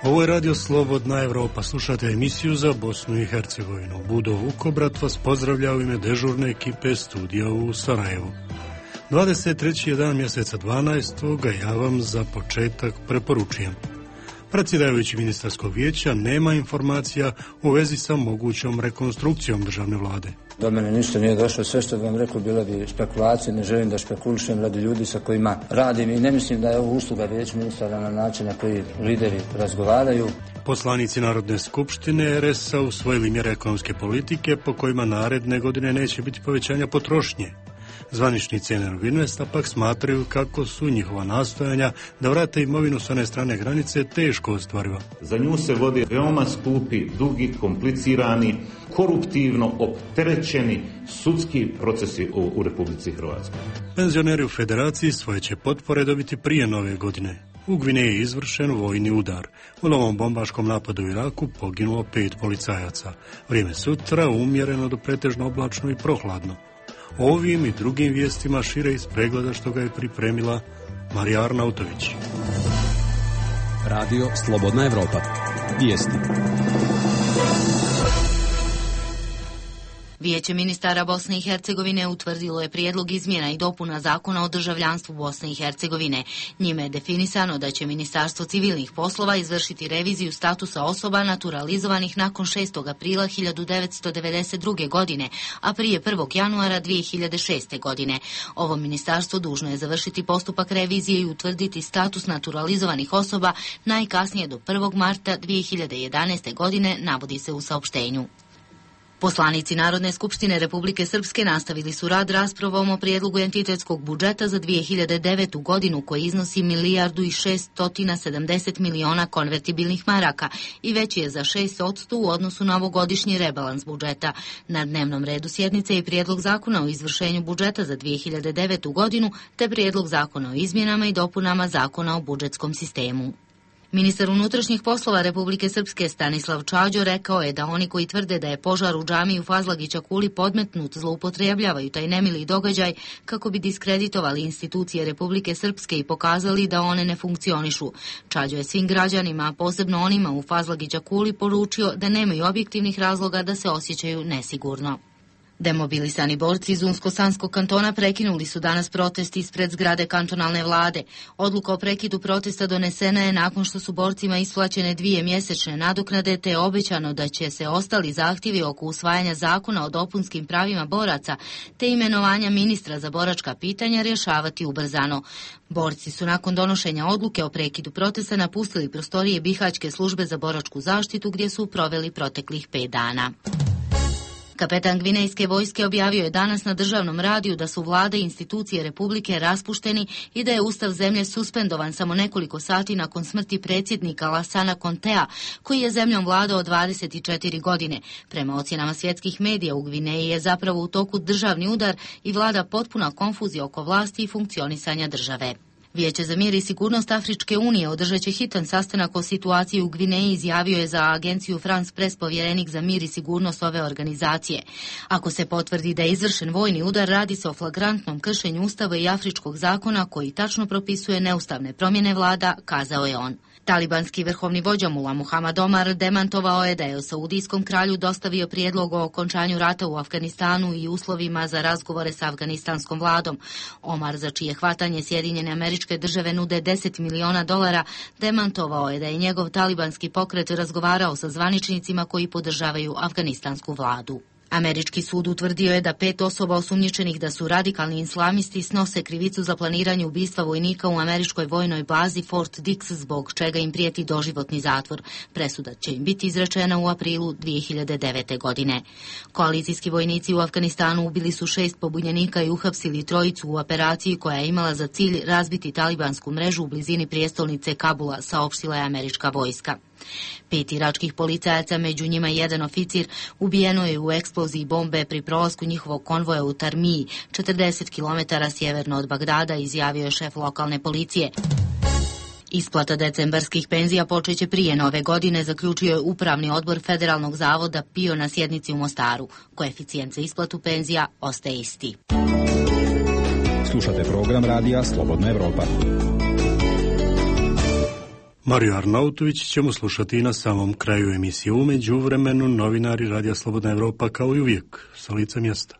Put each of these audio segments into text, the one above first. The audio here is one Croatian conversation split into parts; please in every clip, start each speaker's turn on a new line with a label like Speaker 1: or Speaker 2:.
Speaker 1: Ovo je Radio Slobodna Evropa. Slušate emisiju za Bosnu i Hercegovinu. Budo Vukobrat vas pozdravlja u ime dežurne ekipe studija u Sarajevu. 23. je dan mjeseca 12. Ja vam za početak preporučujem. Predsjedavajući ministarskog vijeća nema informacija u vezi sa mogućom rekonstrukcijom državne vlade.
Speaker 2: Do mene ništa nije došlo, sve što vam rekao bilo bi spekulacije, ne želim da špekulišem radi ljudi sa kojima radim i ne mislim da je ovo usluga vijeća ministara na način na koji lideri razgovaraju.
Speaker 1: Poslanici Narodne skupštine RS-a usvojili mjere ekonomske politike po kojima naredne godine neće biti povećanja potrošnje. Zvaničnici Energoinvesta pak smatraju kako su njihova nastojanja da vrate imovinu s one strane granice teško ostvariva.
Speaker 3: Za nju se vodi veoma skupi, dugi, komplicirani, koruptivno opterećeni sudski procesi u Republici Hrvatskoj.
Speaker 1: Penzioneri u Federaciji svoje će potpore dobiti prije nove godine. U Gvineji je izvršen vojni udar. U novom bombaškom napadu u Iraku poginulo 5 policajaca. Vrijeme sutra umjereno do pretežno oblačno i prohladno. Ovim i drugim vijestima šire iz pregleda što ga je pripremila Marija Arnautović.
Speaker 4: Radio Slobodna Evropa. Vijesti.
Speaker 5: Vijeće ministara Bosne i Hercegovine utvrdilo je prijedlog izmjena i dopuna zakona o državljanstvu Bosne i Hercegovine. Njime je definisano da će Ministarstvo civilnih poslova izvršiti reviziju statusa osoba naturalizovanih nakon 6. aprila 1992. godine, a prije 1. januara 2006. godine. Ovo ministarstvo dužno je završiti postupak revizije i utvrditi status naturalizovanih osoba najkasnije do 1. marta 2011. godine, navodi se u saopštenju. Poslanici Narodne skupštine Republike Srpske nastavili su rad raspravom o prijedlogu entitetskog budžeta za 2009. godinu koji iznosi 1.670 miliona konvertibilnih maraka i veći je za 6% u odnosu na ovogodišnji rebalans budžeta. Na dnevnom redu sjednice je prijedlog zakona o izvršenju budžeta za 2009. godinu te prijedlog zakona o izmjenama i dopunama zakona o budžetskom sistemu. Ministar unutrašnjih poslova Republike Srpske Stanislav Čađo rekao je da oni koji tvrde da je požar u džamiji u Fazlagića Kuli podmetnut zloupotrebljavaju taj nemili događaj kako bi diskreditovali institucije Republike Srpske i pokazali da one ne funkcionišu. Čađo je svim građanima, a posebno onima u Fazlagića Kuli, poručio da nemaju objektivnih razloga da se osjećaju nesigurno. Demobilisani borci iz Unsko-Sanskog kantona prekinuli su danas protest ispred zgrade kantonalne vlade. Odluka o prekidu protesta donesena je nakon što su borcima isplaćene 2 mjesečne nadoknade te je obećano da će se ostali zahtjevi oko usvajanja zakona o dopunskim pravima boraca te imenovanja ministra za boračka pitanja rješavati ubrzano. Borci su nakon donošenja odluke o prekidu protesta napustili prostorije Bihaćke službe za boračku zaštitu gdje su proveli proteklih 5 dana. Kapetan Gvinejske vojske objavio je danas na državnom radiju da su vlade i institucije Republike raspušteni i da je ustav zemlje suspendovan samo nekoliko sati nakon smrti predsjednika Lassana Contea, koji je zemljom vladao 24 godine. Prema ocjenama svjetskih medija u Gvineji je zapravo u toku državni udar i vlada potpuna konfuzija oko vlasti i funkcionisanja države. Vijeće za mir i sigurnost Afričke unije održat će hitan sastanak o situaciji u Gvineji, izjavio je za agenciju France Press povjerenik za mir i sigurnost ove organizacije. Ako se potvrdi da je izvršen vojni udar, radi se o flagrantnom kršenju ustava i afričkog zakona koji tačno propisuje neustavne promjene vlada, kazao je on. Talibanski vrhovni vođa Mullah Muhammad Omar demantovao je da je saudijskom kralju dostavio prijedlog o okončanju rata u Afganistanu i uslovima za razgovore sa afganistanskom vladom. Omar, za čije hvatanje Sjedinjene Američke Države nude $10 miliona, demantovao je da je njegov talibanski pokret razgovarao sa zvaničnicima koji podržavaju afganistansku vladu. Američki sud utvrdio je da 5 osoba osumnjičenih da su radikalni islamisti snose krivicu za planiranje ubistva vojnika u američkoj vojnoj bazi Fort Dix, zbog čega im prijeti doživotni zatvor. Presuda će im biti izrečena u aprilu 2009. godine. Koalicijski vojnici u Afganistanu ubili su 6 pobunjenika i uhapsili 3 u operaciji koja je imala za cilj razbiti talibansku mrežu u blizini prijestolnice Kabula, saopštila je američka vojska. 5 iračkih policajaca, među njima 1 oficir, ubijeno je u eksploziji bombe pri prolasku njihovog konvoja u Tarmiji, 40 km sjeverno od Bagdada, izjavio je šef lokalne policije. Isplata decembarskih penzija počeće prije nove godine, zaključio je Upravni odbor Federalnog zavoda PIO na sjednici u Mostaru. Koeficijent za isplatu penzija ostaje isti.
Speaker 4: Slušate program radija Slobodna Evropa.
Speaker 1: Mariju Arnautović ćemo slušati i na samom kraju emisije. U međuvremenu novinari Radija Slobodna Evropa kao i uvijek sa lica mjesta.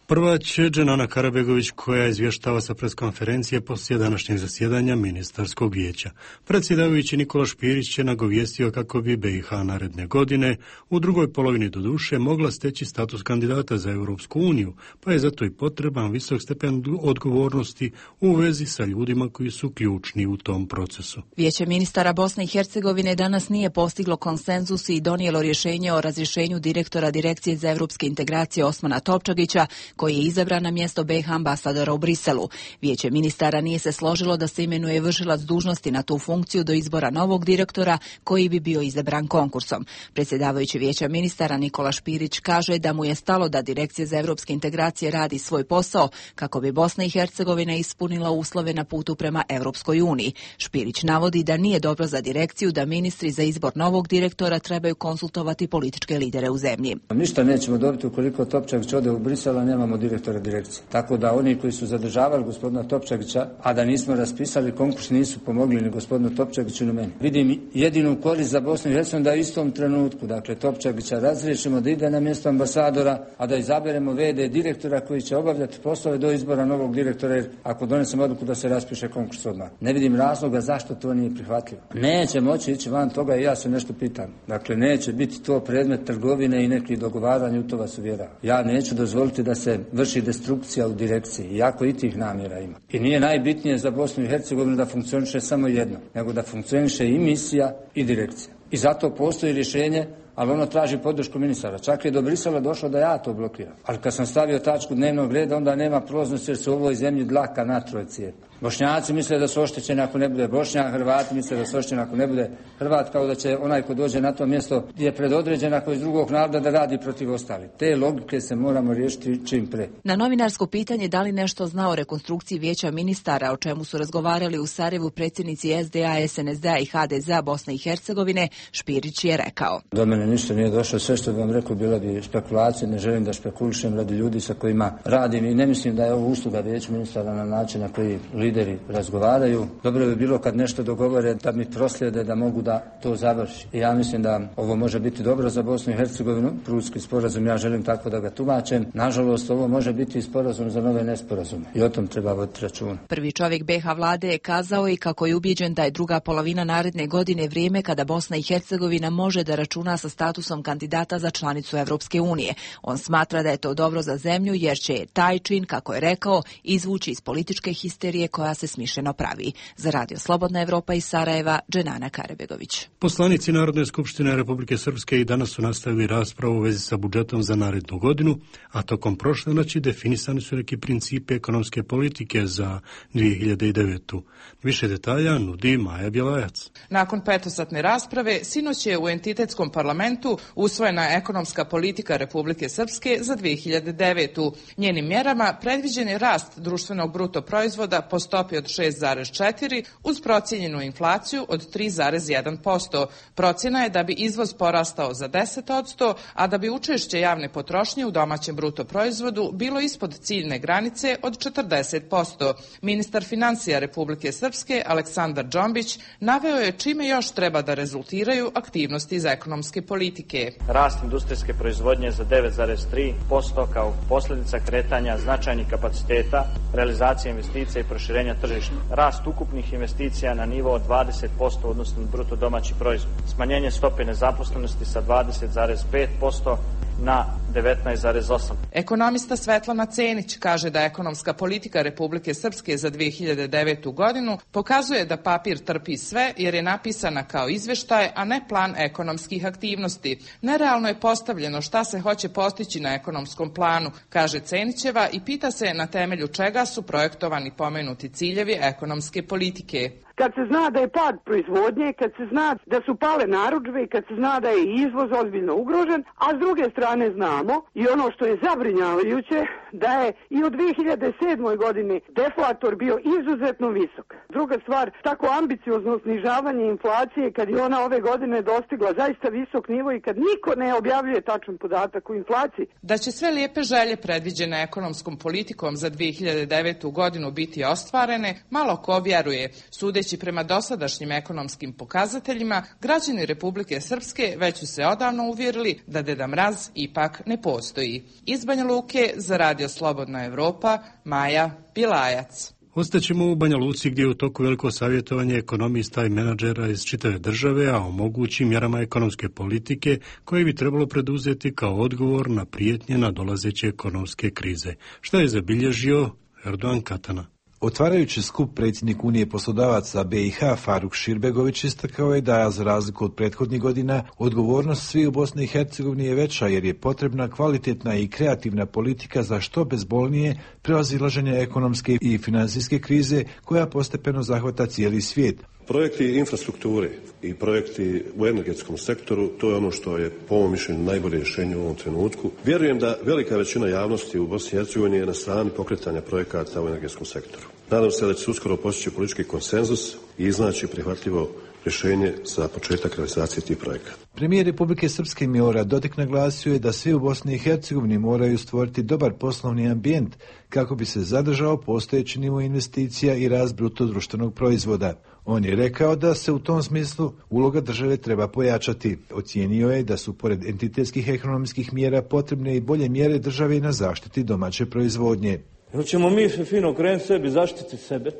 Speaker 1: Prva će Dženana Karabegović koja izvještava sa preskonferencije poslije današnjeg zasjedanja ministarskog vijeća. Predsjedavajući Nikola Špirić je nagovijestio kako bi BiH naredne godine u drugoj polovini doduše mogla steći status kandidata za Europsku uniju, pa je zato i potreban visok stepen odgovornosti u vezi sa ljudima koji su ključni u tom procesu.
Speaker 6: Vijeće ministara Bosne i Hercegovine danas nije postiglo konsenzus i donijelo rješenje o razrješenju direktora Direkcije za europske integracije Osmana Topčagića, koji je izabran na mjesto BiH ambasadora u Briselu. Vijeće ministara nije se složilo da se imenuje vršilac dužnosti na tu funkciju do izbora novog direktora koji bi bio izabran konkursom. Predsjedavajući Vijeća ministara Nikola Špirić kaže da mu je stalo da Direkcija za europske integracije radi svoj posao kako bi Bosna i Hercegovina ispunila uslove na putu prema Europskoj uniji. Špirić navodi da nije dobro za direkciju da ministri za izbor novog direktora trebaju konsultovati političke lidere u zemlji.
Speaker 2: Ništa nećemo dobiti ukoliko Topčagić ode u Brisel, a nemamo direktora direkcije. Tako da oni koji su zadržavali gospodina Topčagića, a da nismo raspisali konkurs, nisu pomogli ni gospodinu Topčagiću ni meni. Vidim jedinu korist za Bosnu i Hercegovinu da u istom trenutku, dakle Topčagića razriješimo da ide na mjesto ambasadora, a da izaberemo VD direktora koji će obavljati poslove do izbora novog direktora, jer ako donesemo odluku da se raspiše konkurs odmah. Ne vidim razloga zašto to nije prihvatljivo. Neće moći ići van toga i ja se nešto pitam. Dakle, neće biti to predmet trgovine i nekih dogovaranja, u to vas uvjeravam. Ja neću dozvoliti da se vrši destrukcija u direkciji, iako i tih namjera ima. I nije najbitnije za Bosnu i Hercegovinu da funkcioniše samo jedno, nego da funkcioniše i misija i direkcija. I zato postoji rješenje, ali ono traži podršku ministara. Čak je do Brisela došlo da ja to blokiram. Ali kad sam stavio tačku dnevnog reda, onda nema prolaznosti jer se u ovoj zemlji dlaka na troje cijepa. Bošnjaci misle da su oštećeni ako ne bude Bošnjak, Hrvati misle da su oštećeni ako ne bude Hrvat, kao da će onaj ko dođe na to mjesto je predodređen ako iz drugog naroda da radi protiv ostalih. Te logike se moramo riješiti čim pre.
Speaker 6: Na novinarsko pitanje da li nešto zna o rekonstrukciji Vijeća ministara, o čemu su razgovarali u Sarajevu predsjednici SDA, SNSD i HDZ Bosne i Hercegovine, Špirić je rekao:
Speaker 2: Do mene ništa nije došlo, sve što vam rekao bila bi spekulacija, ne želim da špekulišem radi ljudi sa kojima radim i ne mislim da je ovo usluga Vijeća ministara na način na koji lideri razgovaraju. Dobro bi bilo kad nešto dogovore da mi proslijede da mogu da to završi. I ja mislim da ovo može biti dobro za Bosnu i Hercegovinu. Prudski sporazum, ja želim tako da ga tumačem. Nažalost, ovo može biti i sporazum za nove nesporazume. I o tom treba voditi računa.
Speaker 6: Prvi čovjek BiH vlade je kazao i kako je ubijeđen da je druga polovina naredne godine vrijeme kada Bosna i Hercegovina može da računa sa statusom kandidata za članicu Europske unije. On smatra da je to dobro za zemlju jer će taj čin, kako je rekao, izvući iz političke histerije koja se smišljeno pravi. Za Radio Slobodna Evropa iz Sarajeva, Dženana Karabegović.
Speaker 1: Poslanici Narodne skupštine Republike Srpske i danas su nastavili raspravu u vezi sa budžetom za narednu godinu, a tokom prošle noći definisani su neki principi ekonomske politike za 2009. Više detalja nudi Maja Bjelajac.
Speaker 7: Nakon petosatne rasprave, sinoć je u entitetskom parlamentu usvojena ekonomska politika Republike Srpske za 2009. Njenim mjerama predviđen je rast društvenog bruto proizvoda po stopi od 6,4 uz procijenjenu inflaciju od 3,1%. Procjena je da bi izvoz porastao za 10%, a da bi učešće javne potrošnje u domaćem bruto proizvodu bilo ispod ciljne granice od 40%. Ministar financija Republike Srpske Aleksandar Džombić naveo je čime još treba da rezultiraju aktivnosti za ekonomske politike.
Speaker 8: Rast industrijske proizvodnje za 9,3% kao posljedica kretanja značajnih kapaciteta, realizacije investicija i proširenja tržišta. Rast ukupnih investicija na nivo od 20% odnosno bruto domaći proizvod. Smanjenje stope nezaposlenosti sa 20,5% na 19,8%.
Speaker 7: Ekonomista Svetlana Cenić kaže da ekonomska politika Republike Srpske za 2009. godinu pokazuje da papir trpi sve jer je napisana kao izveštaj, a ne plan ekonomskih aktivnosti. Nerealno je postavljeno šta se hoće postići na ekonomskom planu, kaže Cenićeva i pita se na temelju čega su projektovani pomenuti ciljevi ekonomske politike.
Speaker 9: Kad se zna da je pad proizvodnje, kad se zna da su pale narudžbe i kad se zna da je izvoz ozbiljno ugrožen, a s druge strane znamo i ono što je zabrinjavajuće, da je i u 2007. godini deflator bio izuzetno visok. Druga stvar, tako ambiciozno snižavanje inflacije kad je ona ove godine dostigla zaista visok nivo i kad niko ne objavljuje tačan podatak o inflaciji.
Speaker 7: Da će sve lijepe želje predviđene ekonomskom politikom za 2009. godinu biti ostvarene, malo ko vjeruje. Sudeći prema dosadašnjim ekonomskim pokazateljima, građani Republike Srpske već su se odavno uvjerili da Deda Mraz ipak ne postoji. Iz Banja Luke za Radio Slobodna Evropa, Maja Bilajac.
Speaker 1: Ostaćemo u Banja Luci gdje je u toku veliko savjetovanje ekonomista i menadžera iz čitave države, a o mogućim mjerama ekonomske politike koje bi trebalo preduzeti kao odgovor na prijetnje nadolazeće ekonomske krize. Šta je zabilježio Erdogan Katana?
Speaker 10: Otvarajući skup, predsjednik Unije poslodavaca BiH Faruk Širbegović istakao je da, za razliku od prethodnih godina, odgovornost svi u Bosni i Hercegovini je veća jer je potrebna kvalitetna i kreativna politika za što bezbolnije prevazilaženje ekonomske i financijske krize koja postepeno zahvata cijeli svijet.
Speaker 11: Projekti infrastrukture i projekti u energetskom sektoru, to je ono što je po mom mišljenju najbolje rješenje u ovom trenutku. Vjerujem da velika većina javnosti u Bosni i Hercegovini je na strani pokretanja projekata u energetskom sektoru. Nadam se da će se uskoro postići politički konsenzus i iznaći prihvatljivo rješenje za početak realizacije tih projekata.
Speaker 10: Premijer Republike Srpske Milorad Dodik naglasio je da svi u Bosni i Hercegovini moraju stvoriti dobar poslovni ambijent kako bi se zadržao postojeći nivo investicija i rast bruto društvenog proizvoda. On je rekao da se u tom smislu uloga države treba pojačati. Ocijenio je da su pored entitetskih ekonomskih mjera potrebne i bolje mjere države na zaštiti domaće proizvodnje.
Speaker 12: Jer ćemo mi fino krenuti sebi, zaštiti sebe.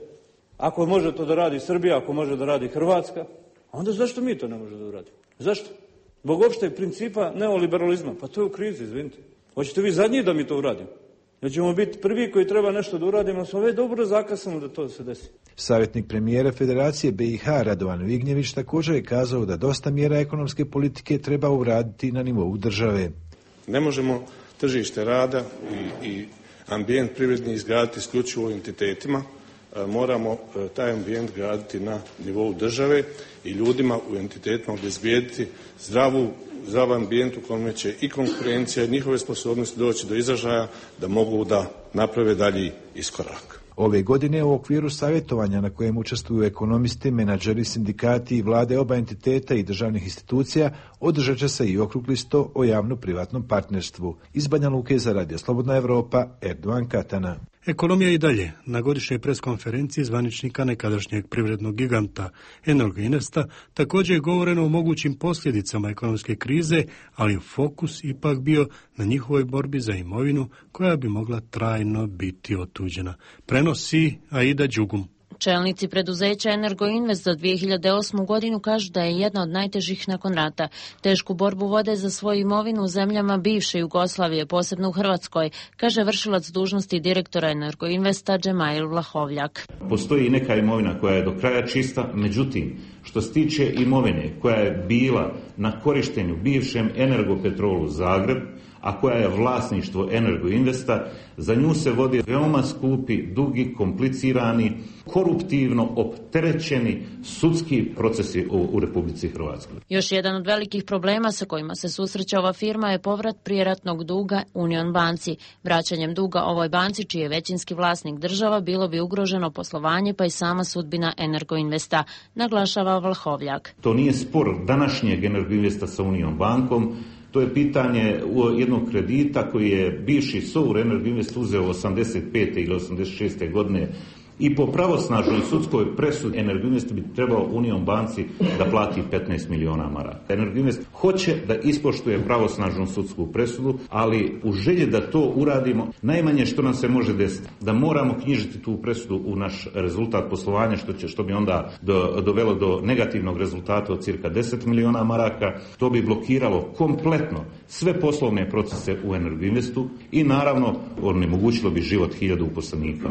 Speaker 12: Ako može to da radi Srbija, ako može da radi Hrvatska, onda zašto mi to ne možemo da uradimo? Zašto? Zbog opšteg principa neoliberalizma. Pa to je u krizi, izvinite. Hoćete vi zadnji da mi to uradimo? Da ćemo biti prvi koji treba nešto da uradimo, smo već dobro zakasnili da to se desi.
Speaker 10: Savjetnik premijera Federacije BiH Radovan Vignjević također je kazao da dosta mjera ekonomske politike treba uraditi na nivou države.
Speaker 13: Ne možemo tržište rada i ambijent privredni izgraditi isključivo u entitetima. Moramo taj ambijent graditi na nivou države i ljudima u entitetima obezbijediti zdrav ambijent u kojem će i konkurencija i njihove sposobnosti doći do izražaja da mogu da naprave dalji iskorak.
Speaker 10: Ove godine u okviru savjetovanja na kojem učestvuju ekonomisti, menadžeri, sindikati i vlade oba entiteta i državnih institucija održat će se i okrugli sto o javno-privatnom partnerstvu. Iz Banja Luke za Radio Slobodna Evropa, Erdogan Katana.
Speaker 1: Ekonomija i dalje. Na godišnjoj preskonferenciji zvaničnika nekadašnjeg privrednog giganta Energoinvesta također je govoreno o mogućim posljedicama ekonomske krize, ali fokus ipak bio na njihovoj borbi za imovinu koja bi mogla trajno biti otuđena. Prenosi Aida Đugum.
Speaker 14: Čelnici preduzeća Energoinvest za 2008. godinu kažu da je jedna od najtežih nakon rata. Tešku borbu vode za svoju imovinu u zemljama bivše Jugoslavije, posebno u Hrvatskoj, kaže vršilac dužnosti direktora Energoinvesta Džemail Vlahovljak.
Speaker 3: Postoji i neka imovina koja je do kraja čista, međutim, što se tiče imovine koja je bila na korištenju bivšem Energopetrolu Zagreb, a koja je vlasništvo Energoinvesta, za nju se vodi veoma skupi, dugi, komplicirani, koruptivno opterećeni sudski procesi u Republici Hrvatskoj.
Speaker 14: Još jedan od velikih problema sa kojima se susreće ova firma je povrat prijeratnog duga Union banci. Vraćanjem duga ovoj banci, čiji je većinski vlasnik država, bilo bi ugroženo poslovanje pa i sama sudbina Energoinvesta, naglašava Vlahovljak.
Speaker 3: To nije spor današnjeg Energoinvesta sa Union bankom. To je pitanje jednog kredita koji je bivši SOUR Energoinvest uzeo 85. ili 86. godine i po pravosnažnoj sudskoj presudi Energoinvest bi trebao Union banci da plati 15 miliona maraka. Energoinvest hoće da ispoštuje pravosnažnu sudsku presudu, ali u želji da to uradimo, najmanje što nam se može desiti, da moramo knjižiti tu presudu u naš rezultat poslovanja, što bi onda dovelo do negativnog rezultata od cirka 10 miliona maraka. To bi blokiralo kompletno sve poslovne procese u Energoinvestu i naravno onemogućilo bi život 1000 uposlenika.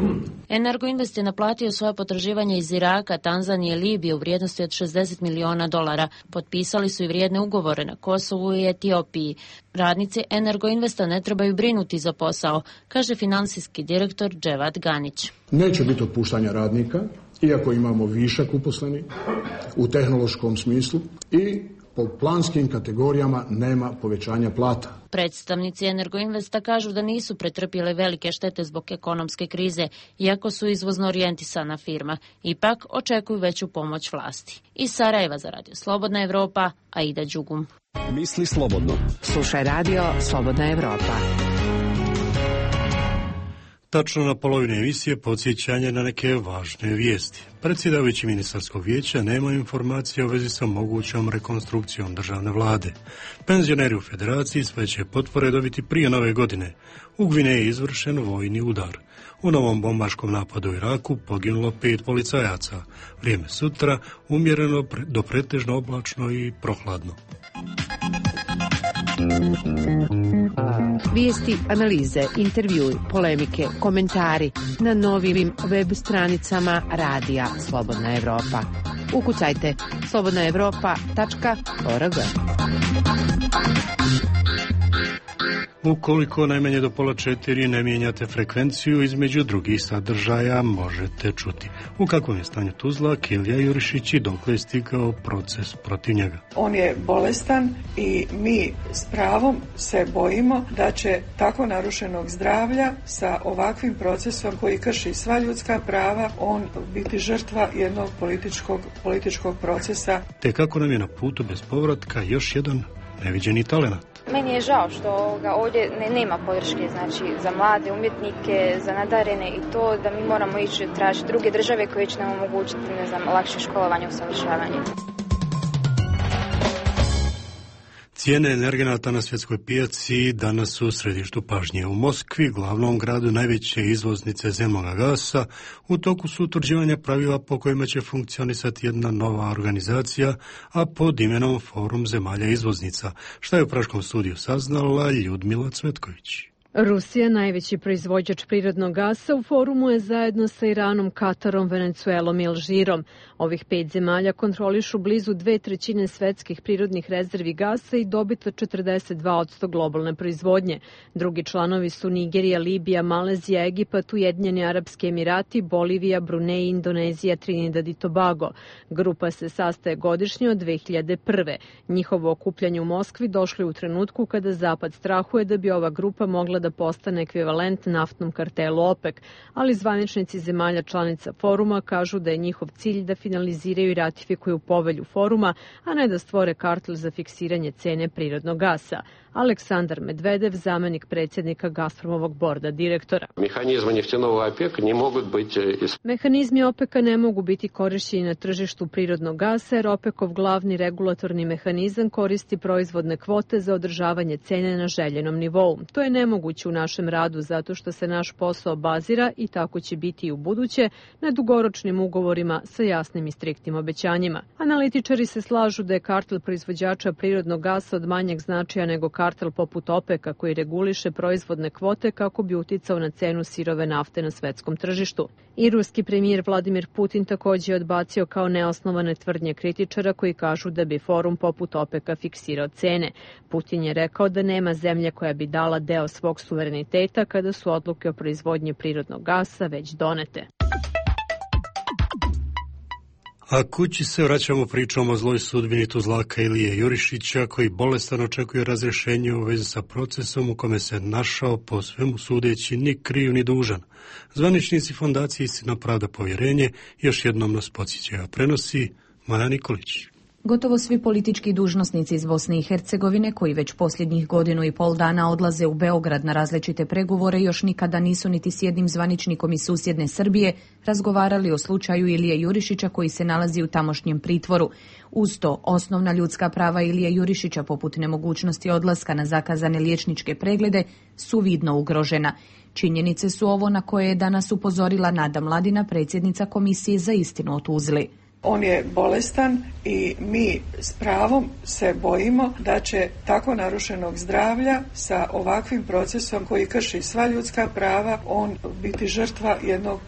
Speaker 14: Energoinvest je naplatio svoje potraživanje iz Iraka, Tanzanije i Libije u vrijednosti od $60 miliona. Potpisali su i vrijedne ugovore na Kosovu i Etiopiji. Radnici Energoinvesta ne trebaju brinuti za posao, kaže financijski direktor Dževat Ganić.
Speaker 15: Neće biti otpuštanja radnika, iako imamo višak uposlenih u tehnološkom smislu i po planskim kategorijama nema povećanja plata.
Speaker 14: Predstavnici Energoinvesta kažu da nisu pretrpjele velike štete zbog ekonomske krize, iako su izvozno orijentisana firma. Ipak očekuju veću pomoć vlasti. Iz Sarajeva za Radio Slobodna Evropa, Aida Đugum.
Speaker 4: Misli slobodno.
Speaker 16: Slušaj Radio Slobodna Evropa.
Speaker 1: Tačno na polovini emisije podsjećanje na neke važne vijesti. Predsjedavajući ministarskog vijeća nema informacije u vezi sa mogućom rekonstrukcijom državne vlade. Penzioneri u federaciji sve će potvore dobiti prije nove godine. U Gvineji je izvršen vojni udar. U novom bombaškom napadu u Iraku poginulo 5 policajaca. Vrijeme sutra umjereno do pretežno oblačno i prohladno.
Speaker 16: Vijesti, analize, intervjui, polemike, komentari na novim web stranicama Radija Slobodna Evropa. Ukucajte slobodnaevropa.org.
Speaker 1: Ukoliko najmanje do 3:30 ne mijenjate frekvenciju, između drugih sadržaja možete čuti u kakvom je stanju Tuzlak, Ilija Jurišić i dokle je stigao proces protiv njega.
Speaker 17: On je bolestan i mi s pravom se bojimo da će tako narušenog zdravlja sa ovakvim procesom koji krši sva ljudska prava, on biti žrtva jednog političkog procesa.
Speaker 1: Te kako nam je na putu bez povratka još jedan neviđeni talenat.
Speaker 18: Meni je žao što ovdje nema podrške, znači za mlade umjetnike, za nadarene i to da mi moramo ići tražiti druge države koje će nam omogućiti, lakše školovanje i usavršavanje.
Speaker 1: Cijene energenata na svjetskoj pijaci danas su u središtu pažnje. U Moskvi, glavnom gradu najveće izvoznice zemnog gasa, u toku su utvrđivanja pravila po kojima će funkcionisati jedna nova organizacija, a pod imenom Forum zemalja izvoznica, što je u Praškom studiju saznala Ljudmila Cvetković.
Speaker 19: Rusija, najveći proizvođač prirodnog gasa, u forumu je zajedno sa Iranom, Katarom, Venecuelom i Alžirom. Ovih 5 zemalja kontrolišu blizu 2/3 svetskih prirodnih rezervi gasa i dobit od 42% globalne proizvodnje. Drugi članovi su Nigerija, Libija, Malezija, Egipat, Ujedinjeni Arapski Emirati, Bolivija, Brunej, Indonezija, Trinidad i Tobago. Grupa se sastaje godišnje od 2001. Njihovo okupljanje u Moskvi došlo je u trenutku kada Zapad strahuje da bi ova grupa mogla da postane ekvivalent naftnom kartelu OPEC, ali zvaničnici zemalja članica foruma kažu da je njihov cilj da finaliziraju i ratifikuju povelju foruma, a ne da stvore kartel za fiksiranje cene prirodnog gasa. Aleksandar Medvedev, zamenik predsjednika Gazpromovog borda direktora. Mehanizmi OPEC-a ne mogu biti korišćeni na tržištu prirodnog gasa, jer OPEC-ov glavni regulatorni mehanizam koristi proizvodne kvote za održavanje cene na željenom nivou. To je nemoguće u našem radu zato što se naš posao bazira, i tako će biti i u buduće, na dugoročnim ugovorima sa jasnim i striktnim obećanjima. Analitičari se slažu da je kartel proizvođača prirodnog gasa od manjeg značaja nego kartel poput OPEC-a koji reguliše proizvodne kvote kako bi uticao na cenu sirove nafte na svetskom tržištu. I ruski premijer Vladimir Putin također je odbacio kao neosnovane tvrdnje kritičara koji kažu da bi forum poput OPEC-a fiksirao cene. Putin je rekao da nema zemlje koja bi dala deo svog suvereniteta kada su odluke o proizvodnji prirodnog gasa već donete.
Speaker 1: A kući se vraćamo pričom o zloj sudbini Tuzlaka Ilije Jurišića, koji bolestan očekuje razrješenje u vezi sa procesom u kome se našao po svemu sudeći ni kriv ni dužan. Zvaničnici fondacije Istina, pravda, povjerenje još jednom nas podsjećaju, a prenosi Maja Nikolić.
Speaker 6: Gotovo svi politički dužnosnici iz Bosne i Hercegovine, koji već posljednjih 1,5 dana odlaze u Beograd na različite pregovore, još nikada nisu niti s jednim zvaničnikom iz susjedne Srbije razgovarali o slučaju Ilije Jurišića koji se nalazi u tamošnjem pritvoru. Uz to, osnovna ljudska prava Ilije Jurišića, poput nemogućnosti odlaska na zakazane liječničke preglede, su vidno ugrožena. Činjenice su ovo na koje je danas upozorila Nada Mladina, predsjednica Komisije za istinu o Tuzli.
Speaker 17: On je bolestan i mi s pravom se bojimo da će tako narušenog zdravlja sa ovakvim procesom koji krši sva ljudska prava, on biti žrtva jednog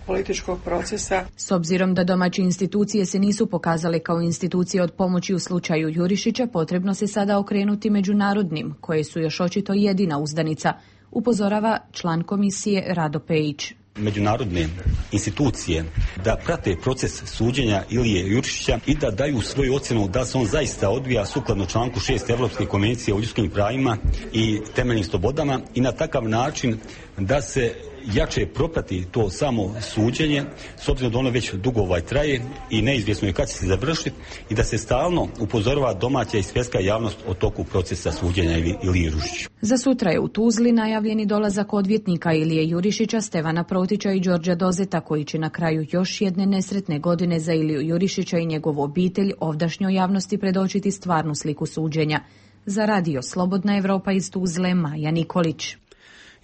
Speaker 17: političkog procesa.
Speaker 6: S obzirom da domaće institucije se nisu pokazale kao institucije od pomoći u slučaju Jurišića, potrebno se sada okrenuti međunarodnim, koje su još očito jedina uzdanica, upozorava član komisije Rado Pejić.
Speaker 20: međunarodne institucije da prate proces suđenja Ilije Jurišića i da daju svoju ocjenu da se on zaista odvija sukladno članku 6 Evropske konvencije o ljudskim pravima i temeljnim slobodama i na takav način da se jače proprati to samo suđenje, s obzirom da ono već dugo traje i neizvjesno je kad će se završiti i da se stalno upozorava domaća i svjetska javnost o toku procesa suđenja Ilije Jurišića.
Speaker 6: Za sutra je u Tuzli najavljeni dolazak odvjetnika Ilije Jurišića, Stevana Protića i Đorđa Dozeta, koji će na kraju još jedne nesretne godine za Iliju Jurišića i njegovu obitelj ovdašnjoj javnosti predočiti stvarnu sliku suđenja. Za radio Slobodna Evropa iz Tuzle, Maja Nikolić.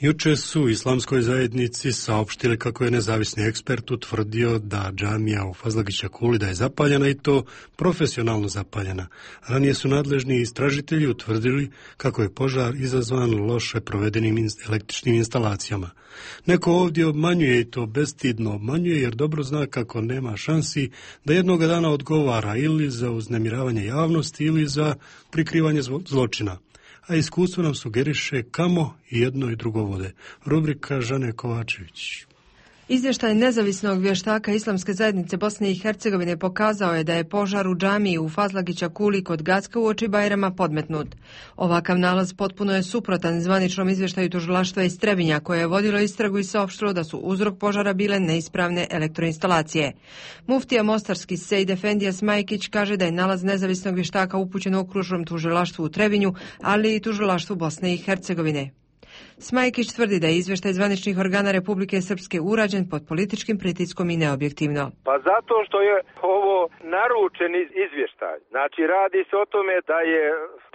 Speaker 1: Juče su u islamskoj zajednici saopštili kako je nezavisni ekspert utvrdio da džamija u Fazlagića Kuli da je zapaljena i to profesionalno zapaljena. Ranije su nadležni istražitelji utvrdili kako je požar izazvan loše provedenim električnim instalacijama. Neko ovdje obmanjuje i to bestidno obmanjuje jer dobro zna kako nema šansi da jednoga dana odgovara ili za uznemiravanje javnosti ili za prikrivanje zločina. A iskustvo nam sugeriše kamo i jedno i drugo vode. Rubrika Žane Kovačević.
Speaker 21: Izvještaj nezavisnog vještaka Islamske zajednice Bosne i Hercegovine pokazao je da je požar u džamiji u Fazlagića Kuli kod Gacka uoči Bajrama podmetnut. Ovakav nalaz potpuno je suprotan zvaničnom izvještaju tužilaštva iz Trebinja, koje je vodilo istragu i saopštilo da su uzrok požara bile neispravne elektroinstalacije. Muftija mostarski Sejid Efendija Smajkić kaže da je nalaz nezavisnog vještaka upućen okružnom tužilaštvu u Trebinju, ali i tužilaštvu Bosne i Hercegovine. Smajkić tvrdi da je izvještaj zvaničnih organa Republike Srpske urađen pod političkim pritiskom i neobjektivno.
Speaker 22: Pa zato što je ovo naručen izvještaj. Znači radi se o tome da je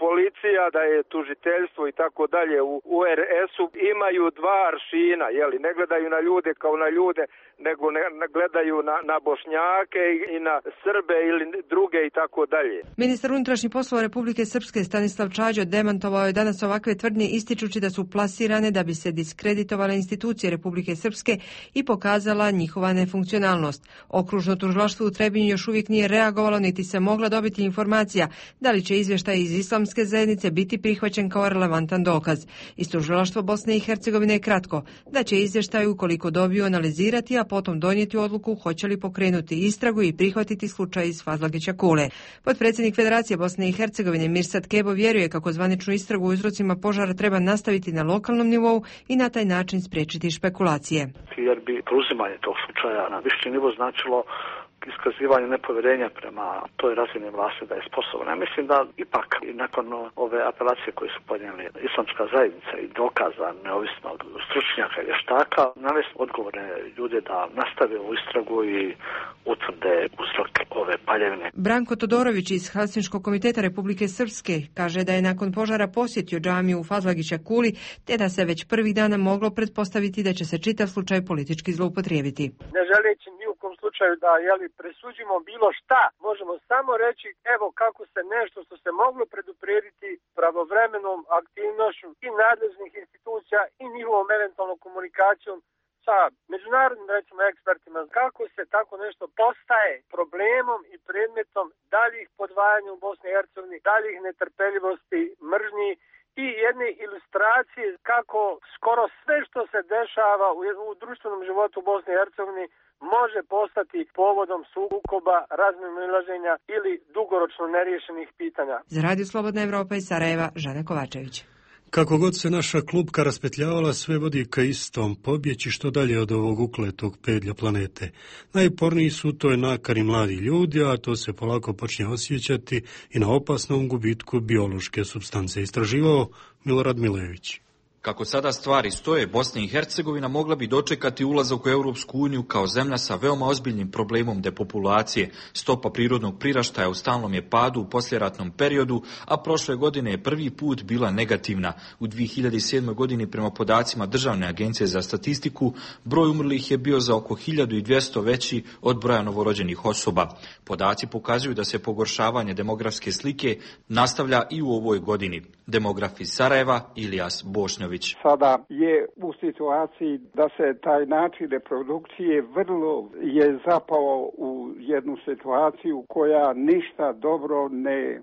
Speaker 22: policija, da je tužiteljstvo i tako dalje u RS-u imaju dva aršina, jeli, ne gledaju na ljude kao na ljude, nego ne gledaju na Bošnjake i na Srbe ili druge i tako dalje.
Speaker 21: Ministar unutrašnjih poslova Republike Srpske Stanislav Čađo demantovao je danas ovakve tvrdnje ističući da su plasirane da bi se diskreditovale institucije Republike Srpske i pokazala njihova nefunkcionalnost. Okružno tužilaštvo u Trebinju još uvijek nije reagovalo niti se mogla dobiti informacija da li će izvještaj iz Islamske zajednice biti prihvaćen kao relevantan dokaz. Iz tužilaštva Bosne i Hercegovine je kratko da će izvještaj ukoliko dobiju analizirati, a potom donijeti odluku hoće li pokrenuti istragu i prihvatiti slučaj iz Fazlagića Kule. Potpredsjednik Federacije Bosne i Hercegovine Mirsad Kebo vjeruje kako zvaničnu istragu o uzrocima požara treba nastaviti na lokalnom nivou i na taj način spriječiti špekulacije.
Speaker 23: Jer bi preuzimanje tog slučaja na viši nivo značilo iskazivanje nepovjerenja prema toj razini vlasti da je sposobna. Ja mislim da ipak i nakon ove apelacije koje su podnijeli Islamska zajednica i dokaza neovisnog stručnjaka i vještaka, navesti odgovorne ljude da nastave u istragu i utvrde uzrok ove paljevine.
Speaker 21: Branko Todorović iz Helsinškog komiteta Republike Srpske kaže da je nakon požara posjetio džamiju u Fazlagića Kuli, te da se već prvih dana moglo pretpostaviti da će se čitav slučaj politički zloupotrijebiti.
Speaker 24: Ne želeći ni u kom slučaju da presuđimo bilo šta, možemo samo reći evo kako se nešto što se moglo preduprediti pravovremenom aktivnošću i nadležnih institucija i njihovom eventualnom komunikacijom sa međunarodnim recimo ekspertima, kako se tako nešto postaje problemom i predmetom daljih podvajanja u Bosni i Hercegovini, daljih netrpeljivosti, mržnji i jedne ilustracije kako skoro sve što se dešava u društvenom životu u Bosni i Hercegovini može postati povodom sukoba, razmimoilaženja ili dugoročno neriješenih pitanja.
Speaker 21: Za Radio Slobodna Evropa iz Sarajeva, Žana Kovačević.
Speaker 1: Kako god se naša klupka raspetljavala, sve vodi ka istom, pobjeći što dalje od ovog ukletog pedlja planete. Najporniji su toj nakani mladi ljudi, a to se polako počne osjećati i na opasnom gubitku biološke supstance. Istraživao Milorad Milević.
Speaker 25: Kako sada stvari stoje, Bosna i Hercegovina mogla bi dočekati ulazak u Europsku uniju kao zemlja sa veoma ozbiljnim problemom depopulacije. Stopa prirodnog priraštaja u stalnom je padu u poslijeratnom periodu, a prošle godine je prvi put bila negativna. U 2007. godini prema podacima Državne agencije za statistiku, broj umrlih je bio za oko 1200 veći od broja novorođenih osoba. Podaci pokazuju da se pogoršavanje demografske slike nastavlja i u ovoj godini. Demograf iz Sarajeva, Ilijas Bošnjović. Milinković.
Speaker 2: Sada je u situaciji da se taj način reprodukcije vrlo je zapao u jednu situaciju koja ništa dobro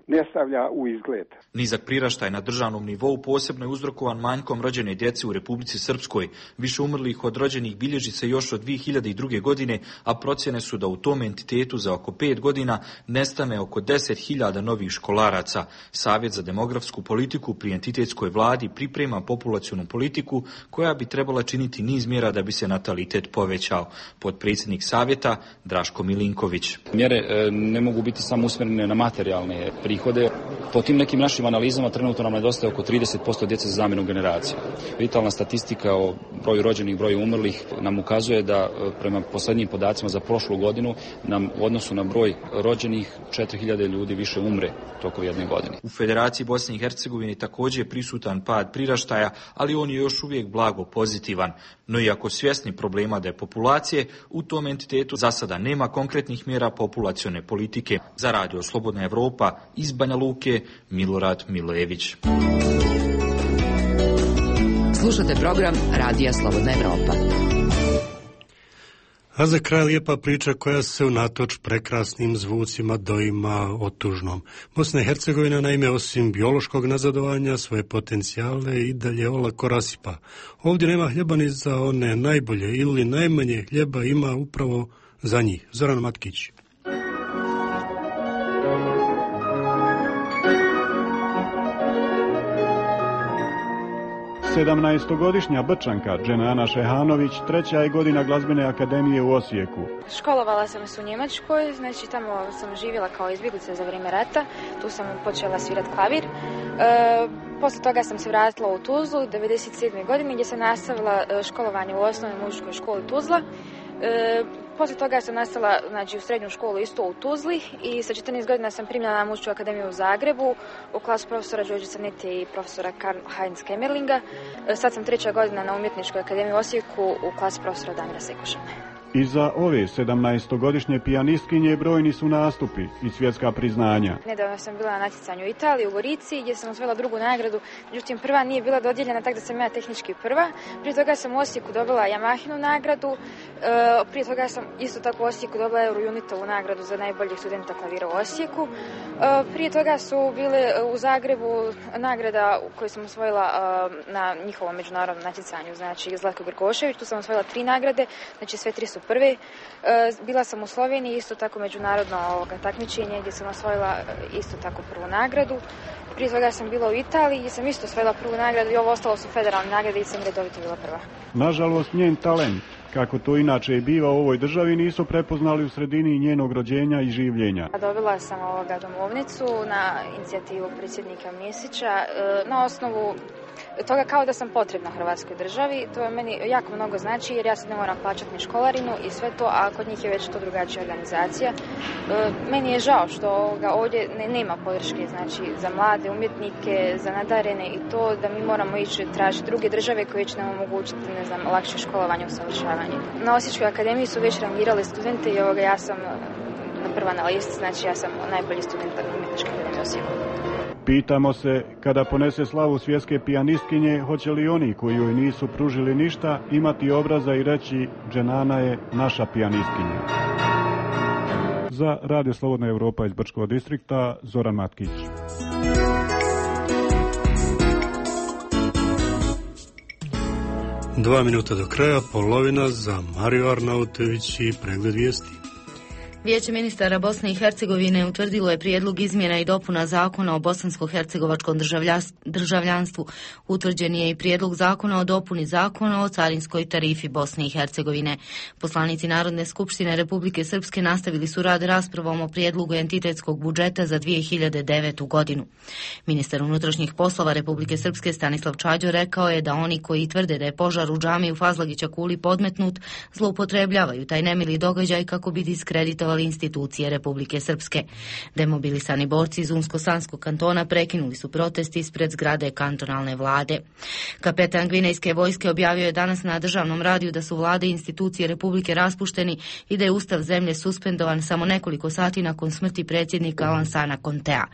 Speaker 2: ne stavlja u izgled.
Speaker 25: Nizak priraštaj na državnom nivou posebno je uzrokovan manjkom rođene djece u Republici Srpskoj. Više umrlih od rođenih bilježi se još od 2002. godine, a procjene su da u tom entitetu za oko 5 godina nestane oko 10.000 novih školaraca. Savjet za demografsku politiku pri entitetskoj vladi priprema populacionu politiku koja bi trebala činiti niz mjera da bi se natalitet povećao. Potpredsjednik savjeta Draško Milinković.
Speaker 5: Mjere ne mogu biti samo usmjerene na materijalne prihode. Po tim nekim našim analizama trenutno nam nedostaje oko 30% djece za zamjenu generacija. Vitalna statistika o broju rođenih, broju umrlih nam ukazuje da prema posljednjim podacima za prošlu godinu nam u odnosu na broj rođenih 4.000 ljudi više umre tokom jedne godine.
Speaker 25: U Federaciji Bosne i Hercegovine također je prisutan pad priraštaja, ali on je još uvijek blago pozitivan. No iako svjesni problema depopulacije, u tom entitetu za sada nema konkretnih mjera populacione politike. Za Radio Slobodna Evropa iz Banja Luke, Milorad Milojević.
Speaker 7: Slušate program Radija Slobodna Evropa.
Speaker 1: A za kraj lijepa priča koja se unatoč prekrasnim zvucima doima otužnom. Bosna i Hercegovina naime osim biološkog nazadovanja svoje potencijale i dalje olako rasipa. Ovdje nema hljeba ni za one najbolje ili najmanje hljeba ima upravo za njih. Zoran Matkić.
Speaker 8: 17-godišnja Brčanka Dženana Šehanović treća je godina glazbene akademije u Osijeku.
Speaker 18: Školovala sam se u Njemačkoj, znači tamo sam živjela kao izbjeglica za vrijeme rata, tu sam počela svirati klavir. Poslije toga sam se vratila u Tuzlu 1997. godine gdje sam nastavila školovanje u osnovnoj muzičkoj školi Tuzla. Poslije toga sam nastala u srednju školu isto u Tuzli i sa 14 godina sam primljena na muzičku akademiju u Zagrebu u klasu profesora Đorđe Crnete i profesora Karl Heinz Kemmerlinga. Sad sam 3. godina na umjetničkoj akademiji u Osijeku u klasi profesora Damira Sekuša.
Speaker 8: Iza ove 17-godišnje pijanistkinje brojni su nastupi i svjetska priznanja.
Speaker 18: Nedavno sam bila na natjecanju u Italiji, u Gorici, gdje sam osvojila drugu nagradu. Međutim, prva nije bila dodijeljena, tako da sam ja tehnički prva. Prije toga sam u Osijeku dobila Yamahinu nagradu. Prije toga sam isto tako u Osijeku dobila Eurounitovu nagradu za najboljeg studenta klavira u Osijeku. Prije toga su bile u Zagrebu nagrada koju sam osvojila na njihovom međunarodnom natjecanju, znači Zlatko Grgošević. Tu sam osvojila 3 nagrade, znači sve 3 su prve. Bila sam u Sloveniji, isto tako međunarodno takmičenje gdje sam osvojila isto tako prvu nagradu. Prije toga sam bila u Italiji gdje sam isto osvojila prvu nagradu i ovo ostalo su federalne nagrade i sam redovito bila prva.
Speaker 8: Nažalost, njen talent, kako to inače i biva u ovoj državi, nisu prepoznali u sredini njenog rođenja i življenja.
Speaker 18: Dobila sam domovnicu na inicijativu predsjednika Mesića na osnovu toga kao da sam potrebna Hrvatskoj državi. To je meni jako mnogo znači jer ja sad ne moram plaćati ni školarinu i sve to, a kod njih je već to drugačija organizacija. Meni je žao što ovdje nema podrške znači, za mlade umjetnike, za nadarene i to da mi moramo ići tražiti druge države koje će nam omogućiti lakše školovanje i usavršavanje. Na Osječkoj akademiji su već rangirali studente i ja sam prva na listi, znači ja sam najbolji student Umjetničke akademije u Osijeku.
Speaker 8: Pitamo se, kada ponese slavu svjetske pijanistkinje, hoće li oni koji joj nisu pružili ništa imati obraza i reći Dženana je naša pijanistkinja. Za Radio Slobodna Evropa iz Brčkog distrikta, Zoran Matkić.
Speaker 1: Dva minuta do kraja, polovina za Mariju Arnautović i pregled vijesti.
Speaker 14: Vijeće ministara Bosne i Hercegovine utvrdilo je prijedlog izmjena i dopuna zakona o bosansko-hercegovačkom državljanstvu. Utvrđen je i prijedlog zakona o dopuni zakona o carinskoj tarifi Bosne i Hercegovine. Poslanici Narodne skupštine Republike Srpske nastavili su rad raspravom o prijedlogu entitetskog budžeta za 2009. godinu. Ministar unutrašnjih poslova Republike Srpske Stanislav Čađo rekao je da oni koji tvrde da je požar u džamiji u Fazlagića Kuli podmetnut, zloupotrebljavaju taj nemili događaj kako bi diskreditovali djelovali institucije Republike Srpske. Demobilisani borci iz Unsko-Sanskog kantona prekinuli su protest ispred zgrade kantonalne vlade. Kapetan gvinejske vojske objavio je danas na državnom radiju da su vlade i institucije Republike raspušteni i da je ustav zemlje suspendovan samo nekoliko sati nakon smrti predsjednika Lansana Contea.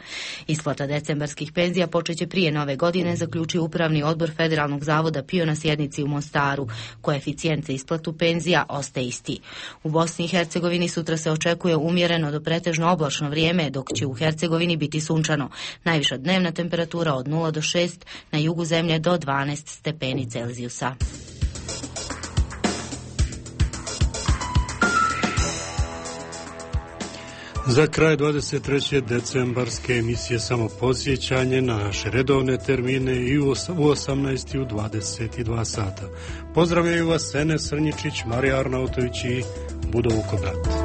Speaker 14: Isplata decembarskih penzija počeće prije nove godine, zaključio upravni odbor Federalnog zavoda PIO na sjednici u Mostaru. Koeficijent za isplatu penzija ostaje isti. U Bosni i Hercegovini sutra se očekuje umjereno do pretežno oblačno vrijeme, dok će u Hercegovini biti sunčano. Najviša dnevna temperatura od 0 do 6, na jugu zemlje do 12 stepeni Celzijusa.
Speaker 1: Za kraj 23. decembarske emisije samo podsjećanje na naše redovne termine i u 18. i u 22 sata. Pozdravljaju vas Enes Srnjičić, Marija Arnautović i Budo Vukobrat.